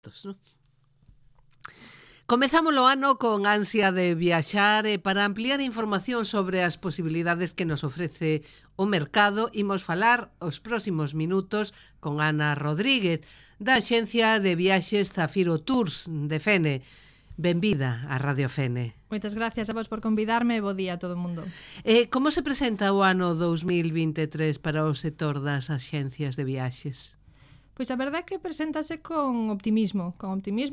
impostos, non? Comezamos o ano con ansia de viaxar e para ampliar información sobre as posibilidades que nos ofrece o mercado, imos falar os próximos minutos con Ana Rodríguez, da Axencia de Viaxes Zafiro Tours de Fene. Benvida a Radio Fene. Moitas gracias a vos por convidarme e bo día a todo o mundo. Como se presenta o ano 2023 para o sector das axencias de viaxes? Pois a verdade é que preséntase con optimismo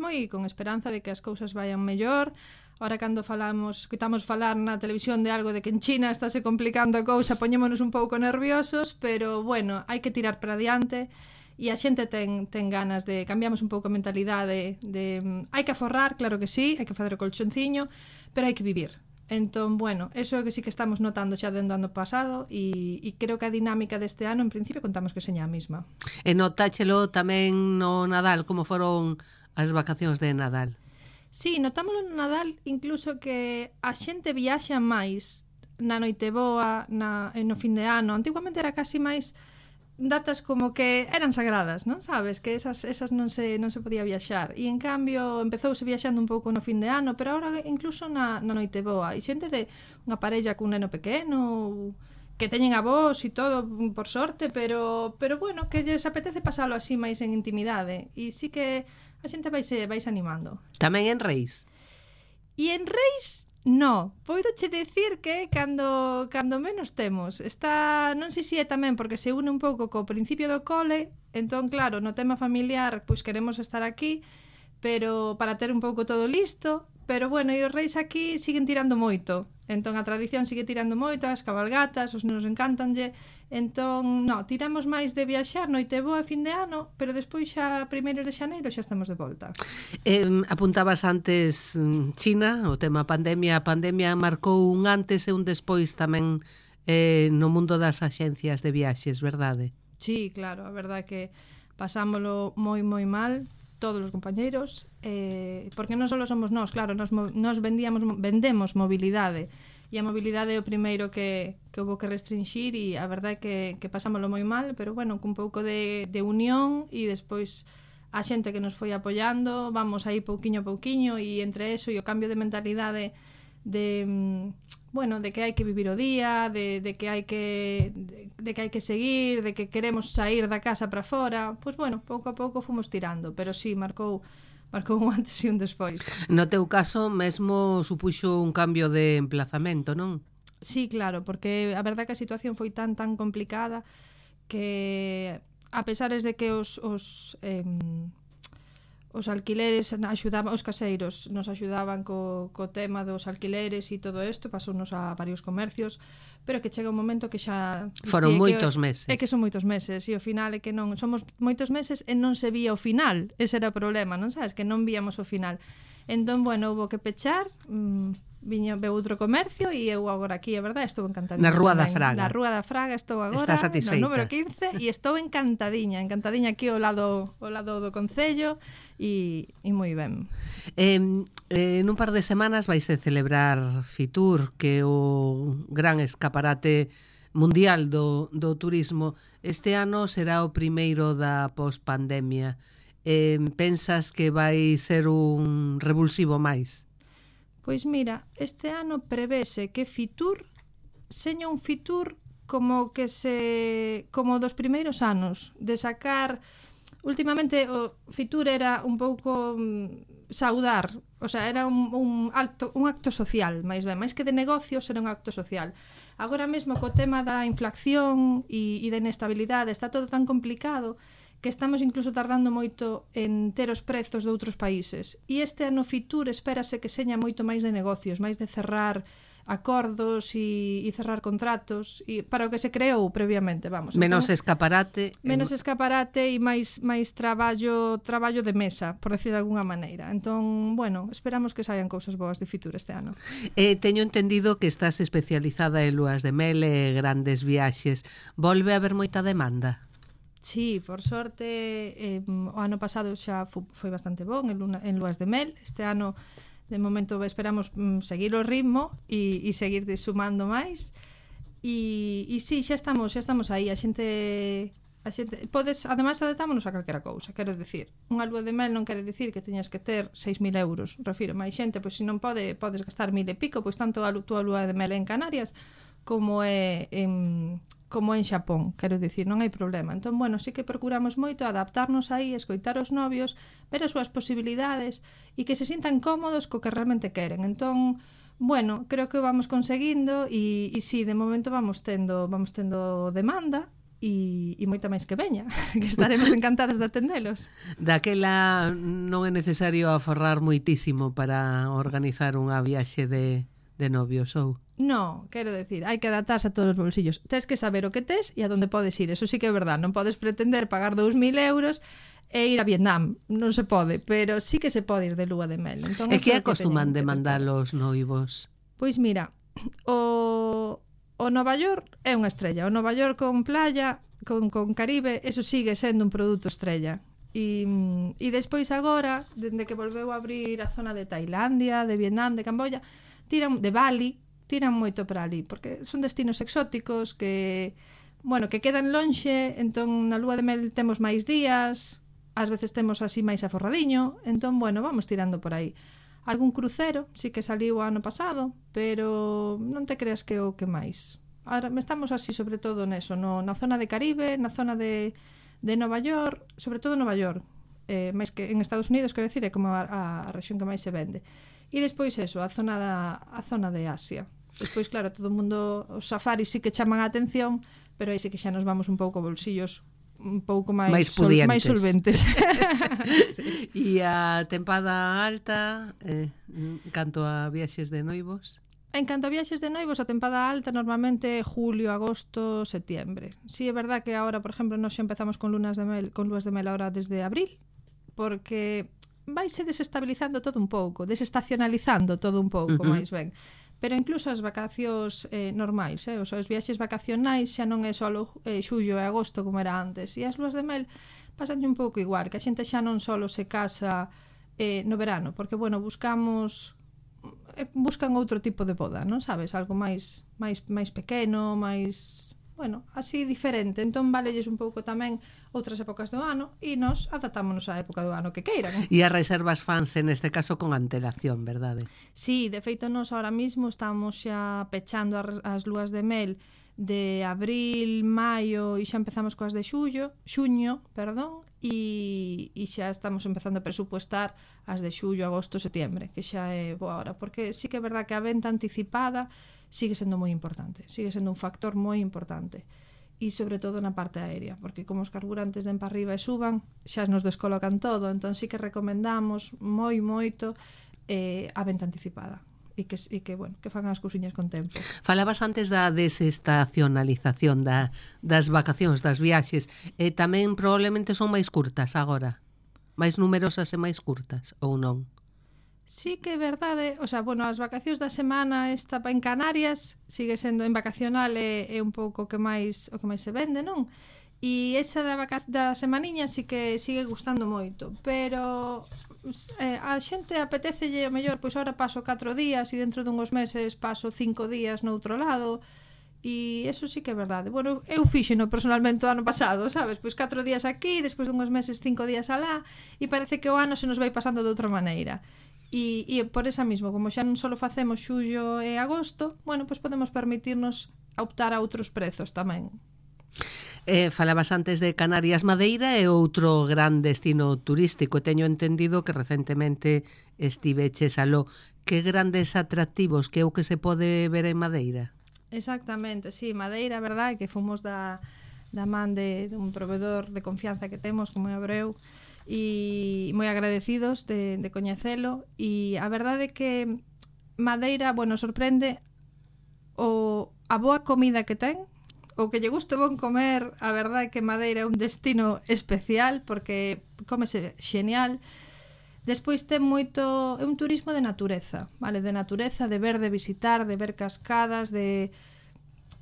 e con esperanza de que as cousas vayan mellor. Ahora cando escoitamos falar na televisión de algo de que en China estáse complicando a cousa, poñémonos un pouco nerviosos, pero bueno, hai que tirar para diante e a xente ten ganas de cambiamos un pouco a mentalidade de hai que aforrar, claro que sí, hai que facer o colchonciño, pero hai que vivir. Entón, bueno, eso é que sí que estamos notando xa dentro do ano pasado e creo que a dinámica deste ano en principio contamos que seña a mesma. E notáchelo tamén no Nadal, como foron as vacacións de Nadal? Sí, notámoslo no Nadal incluso que a xente viaxa máis na Noiteboa, no fin de ano. Antiguamente era casi máis datas como que eran sagradas, non? Sabes, que esas non se podía viaxar e en cambio empezouse viaxando un pouco no fin de ano, pero agora incluso na Noiteboa e xente de unha parella cun neno pequeno que teñen avós e todo, por sorte, pero bueno, que lles apetece pasalo así máis en intimidade e sí que a xente vaise animando. Tamén en Reis? E en Reis no, podo che dicir que cando menos temos non sei se é tamén porque se une un pouco co principio do cole, entón claro, no tema familiar pois queremos estar aquí, pero para ter un pouco todo listo, pero bueno, e os reis aquí siguen tirando moito, entón a tradición sigue tirando moito, as cabalgatas, os nenos encantanlle, entón, no, tiramos máis de viaxar Noiteboa a fin de ano, pero despois xa primeiros de xaneiro xa estamos de volta. Apuntabas antes China, o tema pandemia. A pandemia marcou un antes e un despois tamén no mundo das axencias de viaxes, verdade? Sí, claro, a verdade é que pasámolo moi mal todos os compañeiros, porque non só somos nós, claro, nos vendemos mobilidade, e a mobilidade é o primeiro que houve que restringir e a verdade é que pasámoslo moi mal, pero bueno, cun pouco de unión e despois a xente que nos foi apoiando, vamos aí pouquiño a pouquiño e entre eso e o cambio de mentalidade de que hai que vivir o día, de que hai que seguir, de que queremos sair da casa para fora, pois bueno, pouco a pouco fomos tirando, pero sí, marcou un antes e un despois. No teu caso, mesmo supuxo un cambio de emplazamento, non? Sí, claro, porque a verdade que a situación foi tan complicada que a pesares de que os alquileres os caseiros nos axudaban co tema dos alquileres e todo isto, pasounos a varios comercios, pero que chega un momento que xa foron moitos meses. É que son moitos meses e ao final é que non somos moitos meses e non se vía o final. Ese era o problema, non sabes, que non víamos o final. Entón, bueno, houve que pechar, veu outro comercio e eu agora aquí, a verdade, estou encantadiña. Na Rúa da Fraga. Na Rúa da Fraga estou agora, está satisfeita. No número 15 e estou encantadiña aquí ao lado do concello e moi ben. Nun par de semanas vaise celebrar Fitur, que é o gran escaparate mundial do turismo. Este ano será o primeiro da pospandemia. Pensas que vai ser un revulsivo máis? Pois mira, este ano prevese que Fitur seña un Fitur como dos primeiros anos, de sacar. Últimamente o Fitur era un pouco saudar, o sea, era un acto social, máis que de negocios, era un acto social. Agora mesmo co tema da inflación e da inestabilidade está todo tan complicado que estamos incluso tardando moito en ter os prezos de outros países. E este ano Fitur espérase que seña moito máis de negocios, máis de cerrar acordos e cerrar contratos e para o que se creou previamente, vamos. Menos escaparate. Menos escaparate e máis traballo de mesa, por decir de alguna maneira. Entón, bueno, esperamos que saian cousas boas de Fitur este ano. Teño entendido que estás especializada en luas de mel e grandes viaxes. Volve a haber moita demanda? Sí, por sorte, o ano pasado xa foi bastante bon en luas de mel. Este ano, de momento, esperamos seguir o ritmo e seguir sumando máis. E sí, xa estamos aí. A xente A xente, podes, ademais, adaptámonos a calquera cousa. Quero dicir, unha lúa de mel non quere dicir que teñas que ter 6.000 euros. Refiro, máis xente, pois se non podes gastar 1.000 e pico, pois tanto a túa lúa de mel en Canarias como é en Xapón, quero dicir, non hai problema. Entón, bueno, sí que procuramos moito adaptarnos aí, escoitar os novios, ver as súas posibilidades e que se sintan cómodos co que realmente queren. Entón, bueno, creo que o vamos conseguindo e sí, de momento vamos tendo demanda e moita máis que veña, que estaremos encantadas de atendelos. Daquela non é necesario aforrar moitísimo para organizar unha viaxe de novios, ou? No, quero decir, hai que adaptarse a todos os bolsillos. Tes que saber o que tes e a donde podes ir. Eso sí que é verdad. Non podes pretender pagar 2.000 euros e ir a Vietnam. Non se pode, pero sí que se pode ir de lúa de mel. Entón, e que acostuman de mandar os noivos? Pois mira, o Nova York é unha estrella. O Nova York con playa, con Caribe, eso sigue sendo un produto estrella. E despois agora, dende que volveu a abrir a zona de Tailandia, de Vietnam, de Camboya, de Bali, tiran moito para ali, porque son destinos exóticos que quedan lonxe, entón na lúa de mel temos máis días, ás veces temos así máis aforradiño, entón, vamos tirando por aí. Algún crucero, sí que saliu o ano pasado, pero non te creas que o que máis. Ahora estamos así sobre todo neso, na zona de Caribe, na zona de Nova York, sobre todo Nova York, máis que en Estados Unidos, quero dicir, é como a rexión que máis se vende. E despois eso, a zona de Asia. Despois, claro, todo o mundo, os safaris sí que chaman a atención, pero aí sí que xa nos vamos un pouco bolsillos un pouco máis solventes. E a tempada alta, canto a viaxes de noivos? En canto a viaxes de noivos, a tempada alta normalmente julio, agosto, septiembre. Sí, é verdad que agora, por exemplo, nós xa empezamos con lúas de mel ahora desde abril, porque vaise desestabilizando todo un pouco, desestacionalizando todo un pouco, máis ben. Pero incluso as vacacións normais, os viaxes vacacionais xa non é só xullo e agosto como era antes. E as lúas de mel pasanlle un pouco igual, que a xente xa non só se casa no verano, porque, buscan outro tipo de boda, non sabes? Algo máis pequeno, máis... así diferente. Entón valelles un pouco tamén outras épocas do ano e nos adaptámonos á época do ano que queiran. E as reservas fanse neste caso con antelación, verdade? Sí, de feito nos ahora mismo estamos xa pechando as lúas de mel de abril, maio e xa empezamos coas de xuño, e xa estamos empezando a presupuestar as de xullo, agosto, setembro, que xa é boa hora, porque sí que é verdad que a venta anticipada sigue sendo moi importante, sigue sendo un factor moi importante e sobre todo na parte aérea, porque como os carburantes den para arriba e suban, xa nos descolocan todo, entón sí que recomendamos moito a venta anticipada e que fan as cousiñas con tempo. Falabas antes da desestacionalización das vacacións, das viaxes, e tamén probablemente son máis curtas agora, máis numerosas e máis curtas, ou non? Sí que é verdade, as vacacións da semana esta en Canarias sigue sendo en vacacional é un pouco o que máis se vende, non? E esa da semaniña sí que sigue gustando moito, pero a xente apetecelle o mellor, pois agora paso 4 días e dentro dunhos meses paso 5 días noutro lado. E eso sí que é verdade. Eu fíxeno personalmente o ano pasado, sabes? Pois 4 días aquí, despois dunhos meses 5 días alá, e parece que o ano se nos vai pasando de outra maneira. E por esa mismo, como xa non só facemos xullo e agosto, pois podemos permitirnos optar a outros prezos tamén. Falabas antes de Canarias. Madeira é outro gran destino turístico. Teño entendido que recentemente estiveches aló. Que grandes atractivos, que é o que se pode ver en Madeira? Exactamente, sí, Madeira, verdade, que fomos da man de un proveedor de confianza que temos, como é Abreu, e moi agradecidos de coñecelo, e a verdade é que Madeira, sorprende a boa comida que ten, o que lle guste bon comer. A verdade é que Madeira é un destino especial porque cómese xenial. Despois ten moito, é un turismo de natureza, vale, de natureza, de ver, de visitar, de ver cascadas, de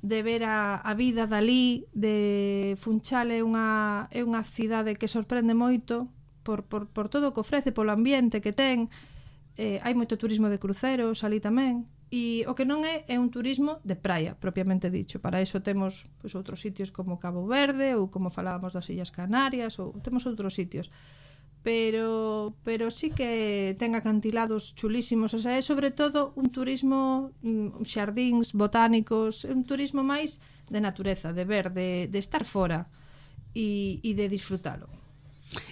ver a vida dali, de Funchal é unha cidade que sorprende moito por todo o que ofrece, polo ambiente que ten. Hai moito turismo de cruceros ali tamén, E o que non é un turismo de praia, propiamente dicho. Para iso temos pois, outros sitios como Cabo Verde ou como falábamos das Illas Canarias, ou temos outros sitios. Pero sí que ten acantilados chulísimos, o sea, é sobre todo un turismo xardíns botánicos, un turismo máis de natureza, de ver, de estar fora e de disfrutalo.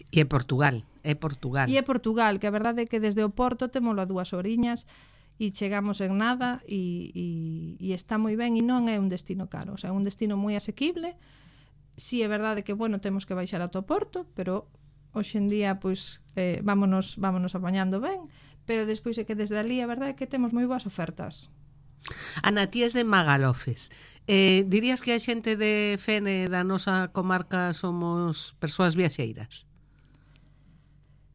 E é Portugal. E é Portugal, que a verdade é que desde o Porto témolo a 2 horiñas e chegamos en nada e está moi ben e non é un destino caro, o sea, é un destino moi asequible. Si é verdade que, bueno, temos que baixar ata o Porto, pero hoxe en día, pois, vámonos apañando ben, pero despois é que desde ali a verdade é que temos moi boas ofertas. Ana, ti es de Magalofes. Dirías que a xente de Fene da nosa comarca somos persoas viaxeiras?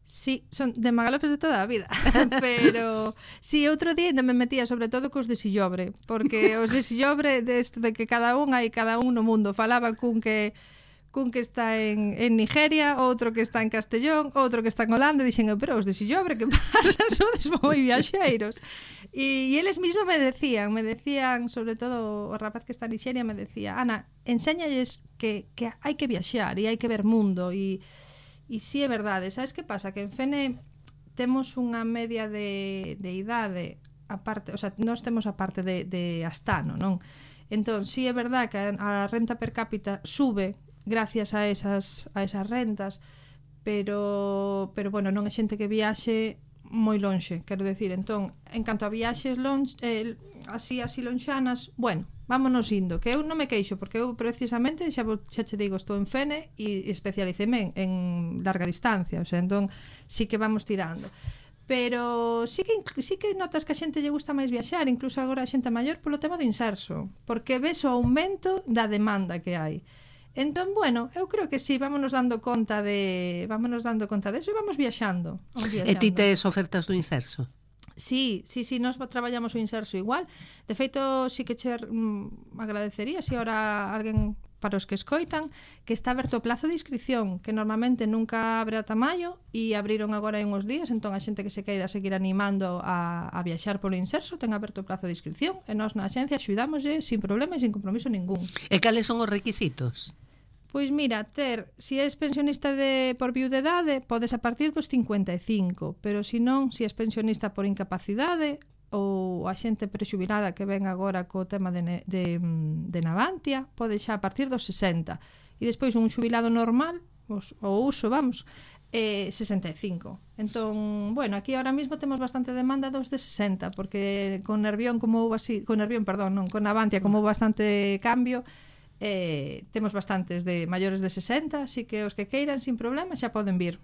Sí, son de Magalofes de toda a vida. Pero sí, outro día ainda me metía sobre todo cos de Sillobre, porque os de Sillobre de que cada un no mundo falaba cun que está en Nigeria, outro que está en Castellón, outro que está en Holanda, e dixen, pero os de Sillobre, que pasa? Sodes moi viaxeiros. E eles mismos me decían, sobre todo o rapaz que está en Nigeria, me decía, Ana, enséñalles que hai que viaxar e hai que ver mundo, e si é verdade. Sabes que pasa? Que en Fene temos unha media de idade aparte, o sea, nós temos a parte de Astano, non? Entón, si é verdade que a renta per cápita sube gracias a esas rentas, pero bueno, non é xente que viaxe moi lonxe, quero decir. Entón, en canto a viaxes así lonxanas, bueno, vámonos indo, que eu non me queixo, porque eu precisamente, xa che digo, estou en Fene e especialiceme en larga distancia, o sea, entón sí que vamos tirando. Pero sí que notas que a xente lle gusta máis viaxar, incluso agora a xente maior, polo tema do inserso, porque ves o aumento da demanda que hai. Entón, bueno, eu creo que sí, vámonos dando conta de eso e vamos viaxando. E ti tes ofertas do inserso? Sí, nós traballamos o inserso igual. De feito, sí que agradecería se ahora alguén para os que escoitan que está aberto o plazo de inscripción, que normalmente nunca abre ata maio e abriron agora hai uns días, entón a xente que se queira seguir animando a viaxar polo inserso ten aberto o plazo de inscripción e nós na axencia axudámoslle sin problema e sin compromiso ningún. E cales son os requisitos? Pois mira, si és pensionista por viudedade, podes a partir dos 55, pero se non, se és pensionista por incapacidade ou a xente prexubilada que ven agora co tema de Navantia, pode xa a partir dos 60. E despois un xubilado normal, o uso, 65. Entón, bueno, aquí ahora mismo temos bastante demanda dos de 60, porque con Nervión con Navantia como bastante cambio, temos bastantes de maiores de 60, así que os que queiran sin problema xa poden vir.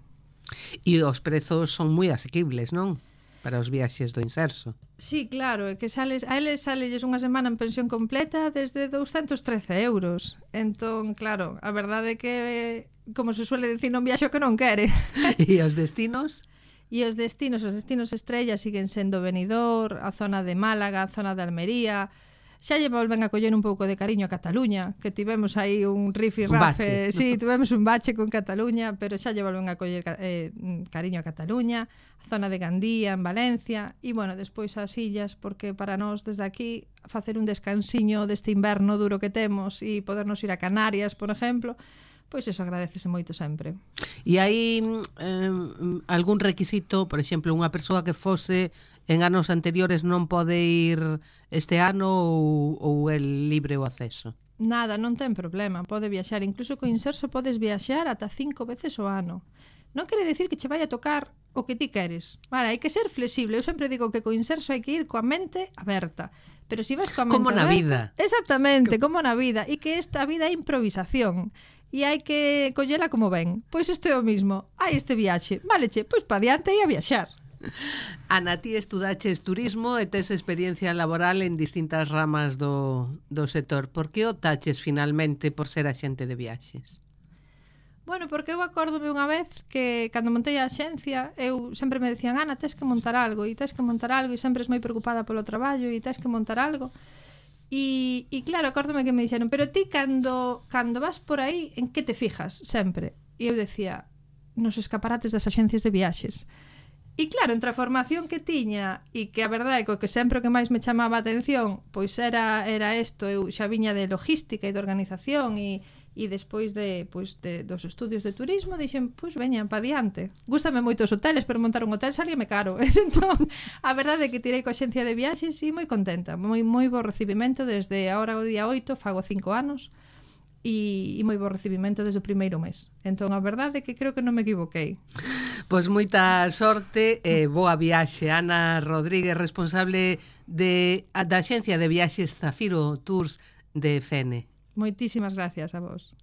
E os prezos son moi asequibles, non? Para os viaxes do inserso. Sí, claro, é que a eles salelles unha semana en pensión completa desde 213 euros. Entón, claro, a verdade é que, como se suele dicir, non viaxo que non quere. E os destinos? E os destinos estrella siguen sendo Benidorm, a zona de Málaga, a zona de Almería. Xa lle volven a coller un pouco de cariño a Cataluña, que tivemos aí un rifirrafe, sí, tivemos un bache con Cataluña, pero xa lle volven a coller cariño a Cataluña, a zona de Gandía, en Valencia, e, bueno, despois as illas, porque para nós, desde aquí, facer un descansiño deste inverno duro que temos e podernos ir a Canarias, por exemplo, pois eso agradecese moito sempre. E hai algún requisito, por exemplo, unha persoa que fose en anos anteriores non pode ir este ano ou é libre o acceso? Nada, non ten problema, pode viaxar. Incluso co inserso podes viaxar ata 5 veces o ano. Non quere decir que che vai a tocar o que ti queres. Vale, hai que ser flexible. Eu sempre digo que co inserso hai que ir coa mente aberta. Pero se vas coa mente como na vida. Exactamente, como na vida. E que esta vida é improvisación. E hai que collela como ven. Pois isto é o mismo. Hai este viaxe. Valeche, pois pa diante e a viaxar. Ana, ti estudaches turismo e tes experiencia laboral en distintas ramas do sector. Por que optaches finalmente por ser axente de viaxes? Bueno, porque eu acórdome unha vez que cando montei a axencia eu sempre me decían, Ana, tes que montar algo e sempre es moi preocupada polo traballo e tes que montar algo. E claro, acórdome que me dixeron, pero ti cando vas por aí, en que te fijas sempre? E eu decía, nos escaparates das axencias de viaxes. E claro, entre a formación que tiña e que a verdade é que sempre o que máis me chamaba a atención pois era isto, eu xa viña de logística e de organización e despois dos estudios de turismo dixen, pois veñan pa diante. Gústame moito os hoteles, pero montar un hotel salíame caro. Entón, a verdade é que tirei coa axencia de viaxes e moi contenta, moi bo recibimento desde agora o día 8, fago 5 anos. E moi bo recibimento desde o primeiro mes. Entón, a verdade é que creo que non me equivoquei. Pois moita sorte e boa viaxe. Ana Rodríguez, responsable da axencia de viaxes Zafiro Tours de Fene. Moitísimas gracias a vos.